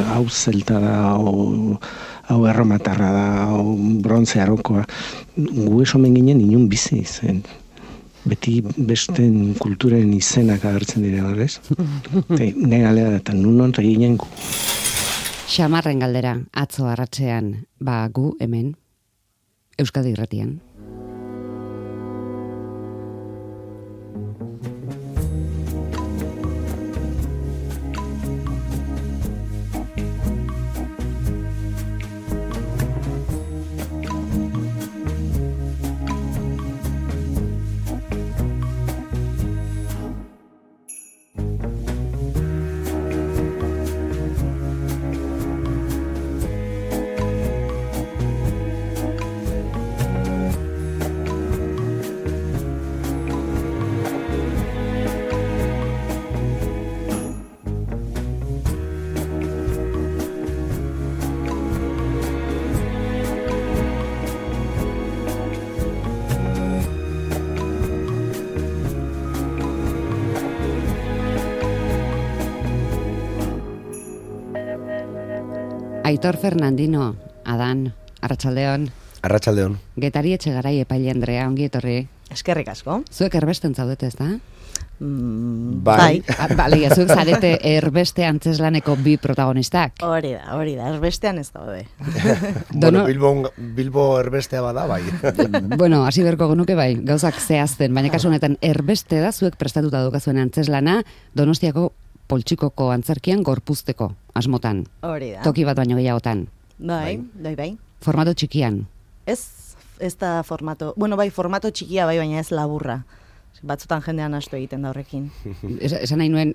hau zelta da, hau erromatarra da, hau brontze arokoa. Gu esomen ginen inun bizi zen. Beti besten kulturen izenak agertzen dira, ez? Ne galera eta nun ginen gu. Xamarren galdera, atzo arratsean, gu hemen, Euskadi Irratian. Aitor Fernandino, Adan, arratsaldeon. Arratsaldeon. Getari Etxegarai epaile Andrea, ongi etorri. Eskerrik asko. Zuek erbesten zaudete, ezta? Bai. Bale, zuek zarete erbeste antzeslaneko bi protagonistak. Hori da, erbestean ez daude. Bueno, Bilbo erbestea bada, bai. Bueno, hasi berko genuke bai, gauzak zehazten, baina kasu honetan erbeste da zuek prestatuta daukazuen antzeslana Donostiako Poltsikoko antzerkian gorpuzteko asmotan. Hori da. Toki bat baino gehiagotan. Bai. Formato txikian. Ez da formato, formato txikia bai, baina ez laburra. Batzutan jendean astu egiten da horrekin. Esan nahi nuen,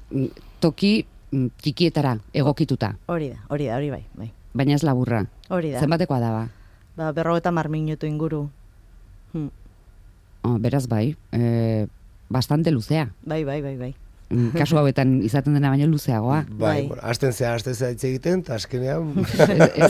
toki txikietara egokituta. Hori bai. Baina ez laburra. Hori da. Zenbatekoa da ba? 50 minutu inguru. Beraz bai, bastante luzea. Bai. Kasu hauetan izaten dena baino luzeagoa. Bai. Hasten zea hitz egiten, eta azkenean...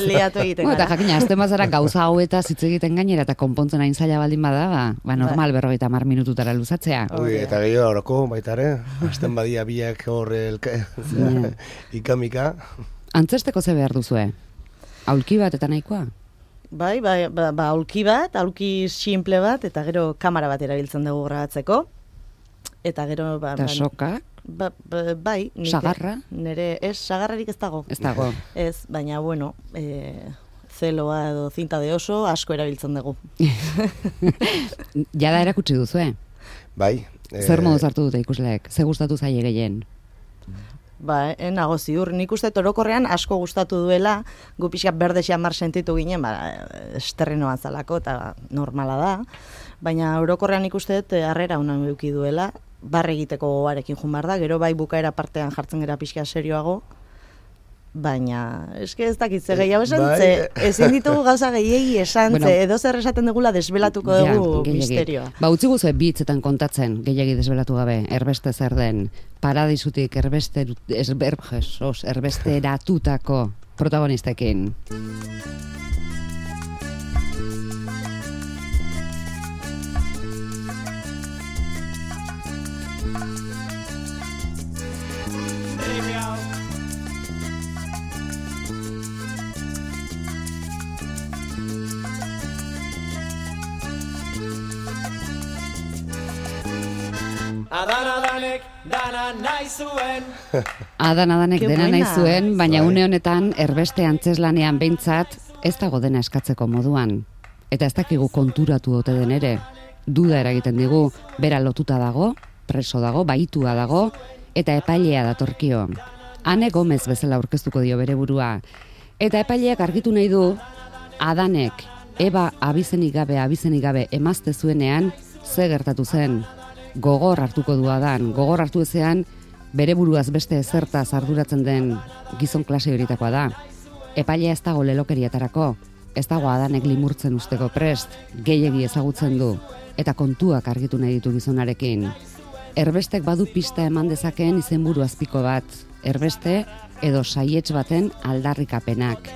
Liatu egiten gara. Eta jakina, hasten bazara gauza hauetaz hitz egiten gainera, eta konpontzen hain zaila baldin bada, normal 50 minututara luzatzea. Eta gehiago horoko, baitare, hasten badia biak hor ikamika. Antzesteko ze behar duzue? Aulki bat eta nahikoa? Bai, aulki bat, aulki simple bat, eta gero kamera bat erabiltzen dugu grabatzeko. Eta gero... Eta sokak? Bai. Sagarra? Sagarrarik ez dago. Ez dago. Ez, baina, zeloa edo zinta de oso asko erabiltzen dugu. Jada erakutsi duzu, Bai. Zer modu hartu dute ikusleek? Ze gustatu zaie gehien? Nago ziur. Nik uste orokorrean asko gustatu duela, gu pixka berde xamar sentitu ginen, esterrenoan zalako, eta normala da. Baina orokorrean ikuste dut harrera honan eduki duela, barre egiteko gogoarekin joan behar da, gero bai bukaera partean jartzen gara pixka serioago, baina eske ez dakit ze gehiago esan, ezin ditugu gauza gehiegi esan, edo zer esaten dugula desbelatuko dugu misterioa. Utzi guzue bi hitzetan kontatzen, gehiagi desbelatu gabe, erbeste zer den, paradisutik erbesteratutako protagonistekin. Adananek dana nahi zuen. Adananek dena nahi zuen, baina une honetan erbeste antzeslanean behintzat ez dago dena eskatzeko moduan. Eta ez dakigu konturatu ote den ere. Duda eragiten digu, bera lotuta dago, preso dago, baitua dago, eta epailea datorkio. Ane Gomez bezala aurkeztuko dio bere burua. Eta epaileak argitu nahi du, Adanek, Eba abizenik gabe emazte zuenean, ze gertatu zen. Gogor hartuko du Adan, gogor hartu ezean, bere buruaz beste ezertaz arduratzen den gizon klase horitakoa da. Epailea ez dago lelokeriatarako, ez dago Adanek limurtzen usteko prest, gehiegi ezagutzen du, eta kontuak argitu nahi ditu gizonarekin. Erbestek badu pista eman dezakeen izenburu azpiko bat, erbeste edo saiets baten aldarrikapenak.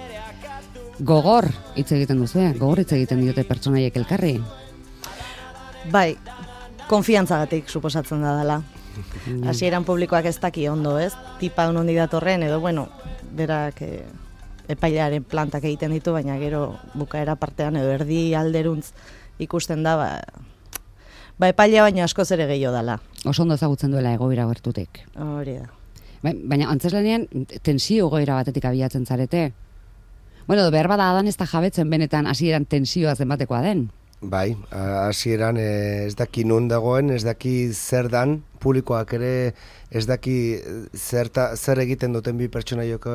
Gogor hitz egiten duzu, gogor hitz egiten diote pertsonaiek elkarri. Bai, konfiantzagatik suposatzen da dela. Hasieran publikoak ez daki ondo, ez? Tipa hondi datorren, edo berak epailearen plantak egiten ditu, baina gero bukaera partean edo erdi alderuntz ikusten da, epailea baina askoz ere gehiago dela. Oso ondo ezagutzen duela egoera gertutik. Hori da. Baina antzeslanean tensio egoera batetik abiatzen zarete. Bueno, behar bada adan ez da jabetzen benetan hasieran tensioa zenbatekoa den. Bai, hasieran ez daki nun dagoen, ez daki zer dan, publikoak ere ez daki zer egiten duten bi pertsonaiok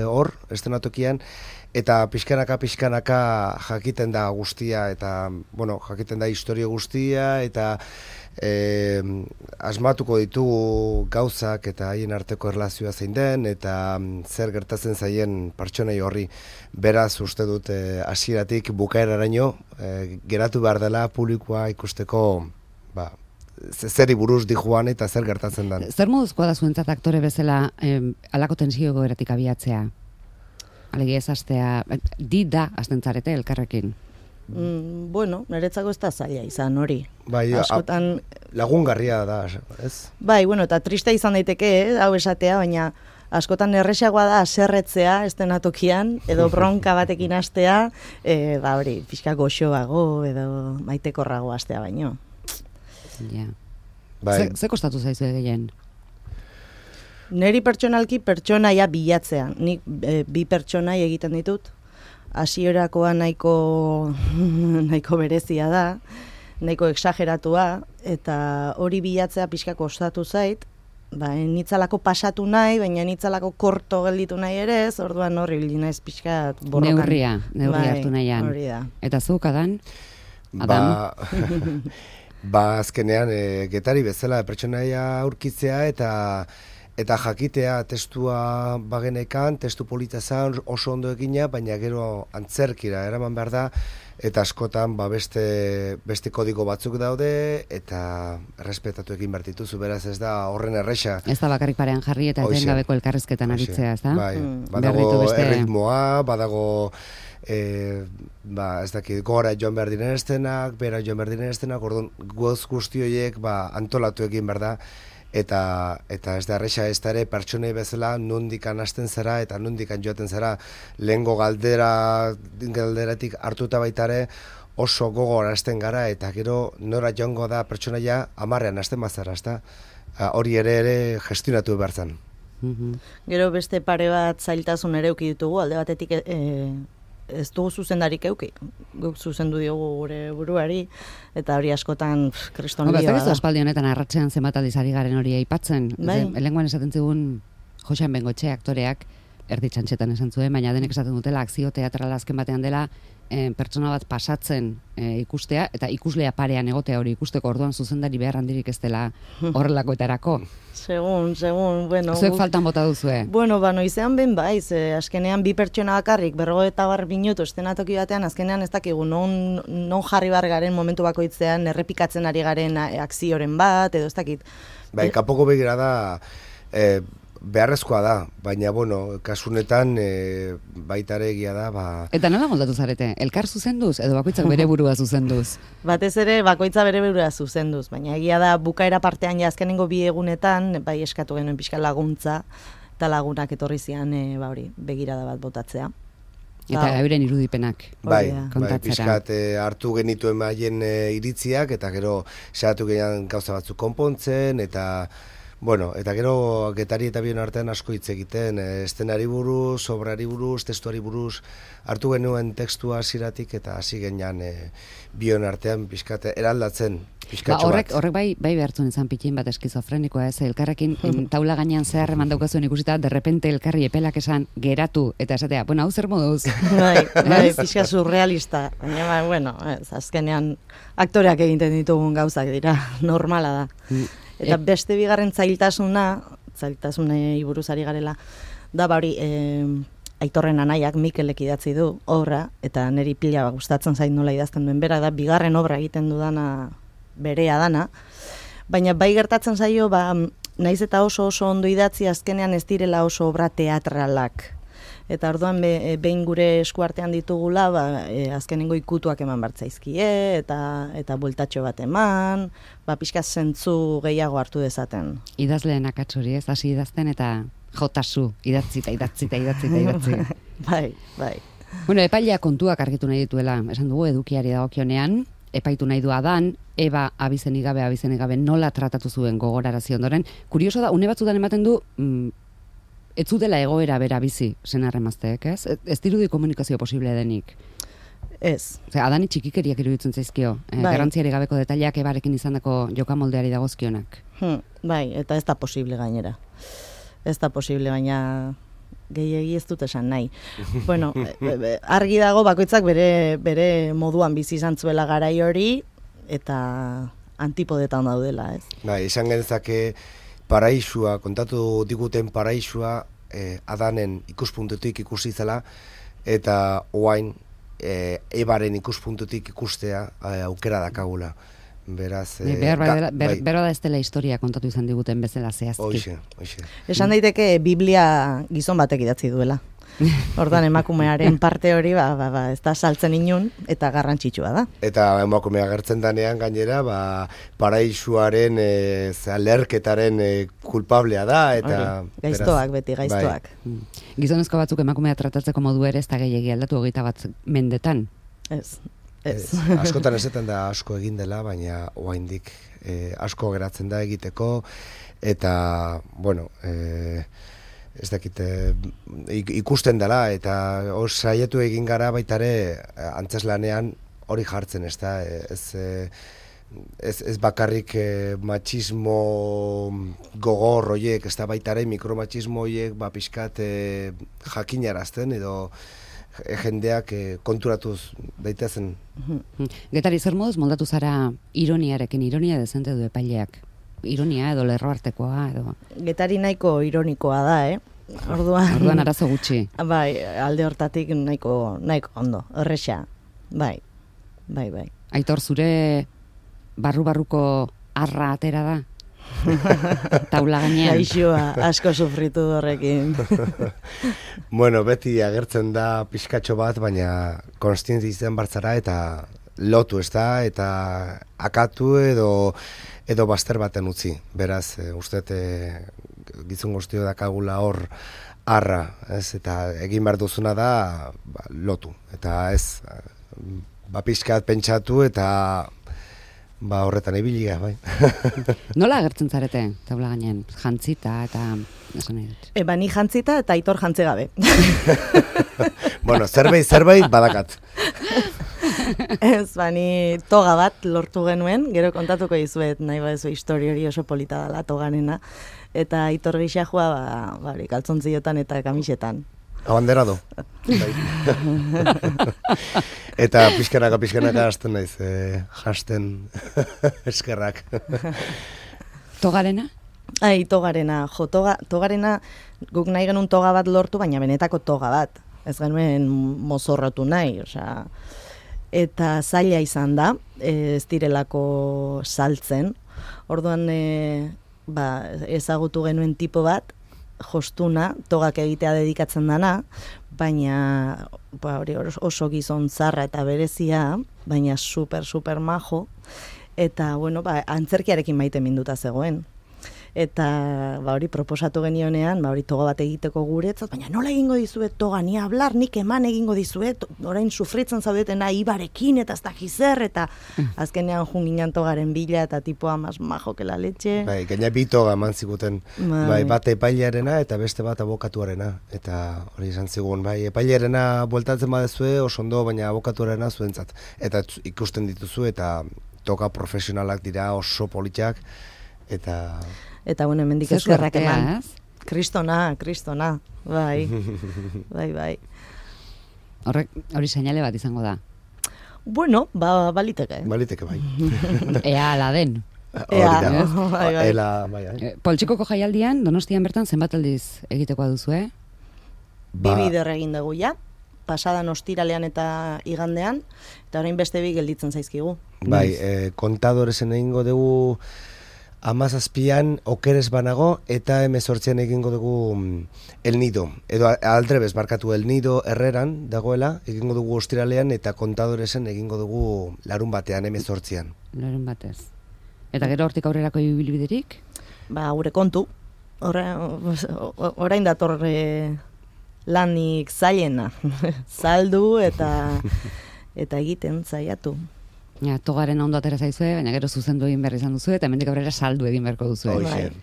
hor, estenatokian, eta pixkanaka jakiten da guztia, eta, bueno, jakiten da historia guztia, eta asmatuko ditugu gauzak eta haien arteko erlazioa zein den, eta zer gertatzen zaien pertsonai horri. Beraz, uste dut, hasieratik bukaeraraino geratu behar dela publikoa ikusteko, zeri buruz dijuan eta zer gertatzen den. Zer moduzkoa da zuentzat aktore bezala halako tensio egoeratik abiatzea? Alegia ez hastea, da hasten zarete elkarrekin? Bueno, niretzako ez da zaila izan hori. Bai, askotan lagungarria da, ez? Bai, bueno, eta triste izan daiteke, hau esatea, baina askotan erresagoa da aserretzea estenatokian, edo bronka batekin hastea, hori, pixka goxoago, edo maitekorrago hastea baino. Ja. Bai. Ze kostatu zaizu gehien? Neri pertsonalki pertsonaia bilatzea. Nik bi pertsonai egiten ditut. Hasierakoa nahiko berezia da, nahiko exageratua, eta hori bilatzea pixka kostatu zait, nitzalako pasatu nahi, baina nitzalako korto gelditu nahi ere ez, orduan horri bildi naiz pixka borrokan. Neurria hartu nahian. Hori da. Eta zuk, Adam? Adam? Azkenean, Getari bezala pertsonaia aurkitzea eta jakitea testua bagenekan, testu polita zan, oso ondo egina, baina gero antzerkira eraman behar da, eta askotan beste kodigo batzuk daude, eta errespetatu egin behar dituzu, beraz ez da horren erresa. Ez da bakarrik parean jarri eta etengabeko elkarrezketan aritzea, ez da? Bai, badago erritmoa, badago ez dakit, gora joan behar diren estenak, bera joan behar diren estenak, orduan guzti horiek antolatu egin behar da, eta ez da erresa ez da ere pertsonei bezala nondikan hasten zara eta nondikan joaten zara lehengo galderatik hartuta baitare oso gogor hasten gara eta gero nora joango da pertsonaia 10ean hasten bazara, ezta? Hori ere gestionatu behar zen. Gero beste pare bat zailtasun ere eduki ditugu, alde batetik ez dugu zuzendarik euki, guk zuzendu diogu gure buruari, eta hori askotan kriston lioa da. Ez aspaldi honetan arratsean zenbat aldiz ari garen hori aipatzen. Lehengoan esaten zigun Joxan Bengoetxe aktoreak, erdi txantxetan esan zuen, baina denek esaten dutela akzio teatrala azken batean dela pertsona bat pasatzen ikustea, eta ikuslea parean egotea hori ikusteko, orduan zuzendari behar handirik ez dela horrelakoetarako. Segun, bueno... Zuek faltan bota duzue? Bueno, noizean ben baiz, azkenean bi pertsona bakarrik, 50 minutu estenatoki batean, azkenean ez dakigu, non jarri bar garen momentu bakoitzean, errepikatzen ari garen akzioren bat, edo ez dakit. Bai, kapoko begira da... beharrezkoa da, baina, bueno, kasunetan baitare egia da, Eta nola moldatu zarete? Elkar zuzenduz, edo bakoitzak bere burua zuzenduz? Batez ere, bakoitza bere burua zuzenduz, baina egia da, bukaera partean ja azkenengo 2 egunetan, bai eskatu genuen pixka laguntza, eta lagunak etorri zian, begirada bat botatzea. Eta euren irudipenak. Bai, pixkat hartu genituen haien iritziak, eta gero saiatu gehiago gauza batzuk konpontzen, eta... Bueno, eta gero Getari eta bion artean asko hitz egiten, estenari buruz, obrari buruz, testuari buruz, hartu genuen tekstua hasieratik eta hasi genean bion artean pixkat eraldatzen, pixkatxo bat. Horrek bai behartzen izan pitin bat eskizofrenikoa ez, elkarrekin taula gainean zehar eman daukazuen ikusita, derrepente elkarri epelak esan geratu, eta esatea, bueno, hau zer moduz? Bai, pixka surrealista, baina, bueno, azkenean aktoreak egiten ditugun gauzak dira, normala da. Eta beste bigarren zailtasunei buruz ari garela, da hori Aitorren anaiak Mikelek idatzi du obra, eta niri pila gustatzen zait nola idazten duen bera, da bigarren obra egiten dudana berea dana, baina bai gertatzen zaio, naiz eta oso ondo idatzi azkenean ez direla oso obra teatralak. Eta orduan behin gure eskuartean ditugula, azkenengo ikutuak eman bartzaizkie, eta bueltatxo bat eman, pixka zentzu gehiago hartu dezaten. Idazleen akats hori ez, hasi idazten eta Jotasu, idatzi. Bai. Bueno, epailea kontuak argitu nahi dituela, esan dugu edukiari dagokionean, epaitu nahi du Adan, Eba abizenik gabe nola tratatu zuen gogorarazi ondoren. Kurioso da, une batzutan ematen du, ez zutela egoera bera bizi, senarremazteek, ez? Ez dirudi komunikazio posible denik. Ez. Adani txikikeriak iruditzen zaizkio, garrantziari gabeko detaileak Ebarekin izandako jokamoldeari dagozkionak. Bai, eta ez da posible gainera. Ez da posible, baina gehiegi ez dut esan nahi. Bueno, argi dago bakoitzak bere moduan bizi izan zuela garai hori, eta antipodetan daudela, ez? Bai, esan genezake paraisua, kontatu diguten paraisua, Adanen ikuspuntutik ikusi zela, eta oain Ebaren ikuspuntutik ikustea aukera dakagula. Beraz, bera da ez dela historia kontatu izan diguten bezala zehazki. Hoxe. Esan daiteke Biblia gizon batek idatzi duela. Orduan emakumearen parte hori ez da saltzen inun eta garrantzitsua da. Eta emakumea agertzen danean gainera paraisuaren lerketaren kulpablea da eta gaiztoak beti gaiztoak. Bai. Gizonezko batzuk emakumea tratatzeko modu ere ez da gehiegi aldatu 21 mendetan. Ez. Askotan ezetan da asko egin dela, baina oraindik asko geratzen da egiteko eta bueno, ez dakit ikusten dela eta saiatu egin gara baita ere antzeslanean hori jartzen, ez da, ez bakarrik machismo gogor horiek, ez da baita ere mikromachismo horiek pixkat jakinarazten edo jendeak konturatuz daitezen. Getari, zer moduz moldatu zara ironiarekin, ironia dezente du epaileak? Ironia edo lerro artekoa edo? Getari nahiko ironikoa da, Orduan arazo gutxi. Bai, alde hortatik nahiko ondo, horrexa. Bai. Aitor, zure barru-barruko arra atera da? Taula gainean. Gaixoa, asko sufritu horrekin. Bueno, beti agertzen da pixkatxo bat, baina konstientzi izan bartzara eta lotu, ez da, eta akatu edo bazter baten utzi. Beraz, uste gizon guztio dakagula hor arra, ez, eta egin behar duzuna da lotu. Eta ez, pixkat pentsatu eta horretan ibilia, bai. Nola agertzen zarete, taula gainean? Jantzita eta esan nahi dut. Ni jantzita eta Aitor jantze gabe. Bueno, zerbait badakat. Ez, ni toga bat lortu genuen, gero kontatuko dizuet, nahi badezu historia hori oso polita dela toganena, eta Aitor gisa joa, kaltzontziotan eta kamisetan. Abanderado. Eta pixkanaka hasten naiz, jasten eskerrak. Togarena? Togarena. Togarena guk nahi genuen toga bat lortu, baina benetako toga bat. Ez genuen mozorratu nahi, osea. Eta zaila izan da, ez direlako saltzen. Orduan ezagutu genuen tipo bat, jostuna, togak egitea dedikatzen dana, baina hori oso gizon zarra eta berezia, baina super majo, eta antzerkiarekin maite minduta zegoen. Eta hori proposatu genionean, hori toga bat egiteko guretzat, baina nola egingo dizuet toga, ni hablar, nik eman egingo dizuet, orain sufritzen zaudetena Ibarekin eta ez dakiz zer, eta azkenean junginan togaren bila eta tipoa mas majo que la leche. Bai, gaina bi toga eman ziguten, bat epailearena eta beste bat abokatuarena, eta hori izan zigun, epailearena bueltatzen badezue oso ondo, baina abokatuarena zuentzat, eta ikusten dituzu, eta toga profesionalak dira oso politak, eta hemendik eskerrak eman. Kristona, bai. Hori seinale bat izango da. Bueno, baliteke. Baliteke, bai. Ea ala den. Poltsikoko jaialdian, Donostian bertan zenbat aldiz egitekoa duzu, Bi bider egin dugu, pasadan ostiralean eta igandean, eta orain beste bi gelditzen zaizkigu. Bai, kontadoresen egingo dugu 17an okeres banago eta 18an egingo dugu El Nido. Edo aldrebes barkatu El Nido Herreran dagoela, egingo dugu ostiralean eta kontadoresen egingo dugu larun batean 18an. Larun batez. Eta gero hortik aurrerako ibilbiderik? Gure kontu. orain dator lanik zailena. Saldu eta egiten zaiatu. Ja, togaren ondo atera zaizue, baina gero zuzendu egin behar izan duzu, eta hemendik aurrera saldu egin beharko duzu.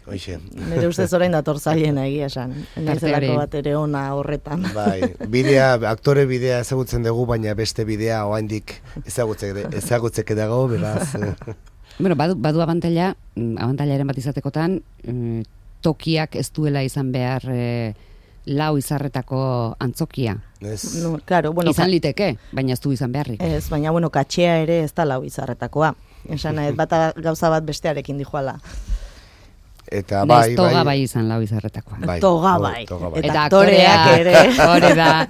Hoxe. Nire ustez orain dator zailena egia esan. Naizelako bat ere ona horretan. Bai, aktore bidea ezagutzen dugu, baina beste bidea oraindik ezagutzeke dago, beraz. Bueno, badu abantailaren bat izatekotan, tokiak ez duela izan behar lau izarretako antzokia. No, claro, bueno, izan liteke, baina ez du izan beharrik. Ez, baina bueno, katxea ere ez da lau izarretakoa. Esan gauza bat bestearekin dijoala. Eta bai, toga bai izan lau izarretakoa. Toga bai. Eta aktoreak ere. Hore da.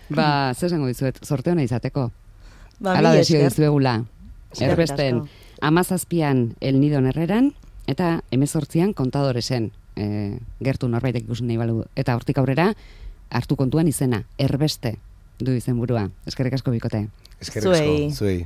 Ba, zer esango dizuet, sorte hona izateko. Hala desio dizuegula. Erbesten, 17an El Nidon Herreran, eta 18an Kontadoresen. Gertu norbaitek ikusten nahi balu. Eta hortik aurrera, hartu kontuan izena, Erbeste du izenburua. Eskerrik asko bikote. Eskerrik asko, zuei.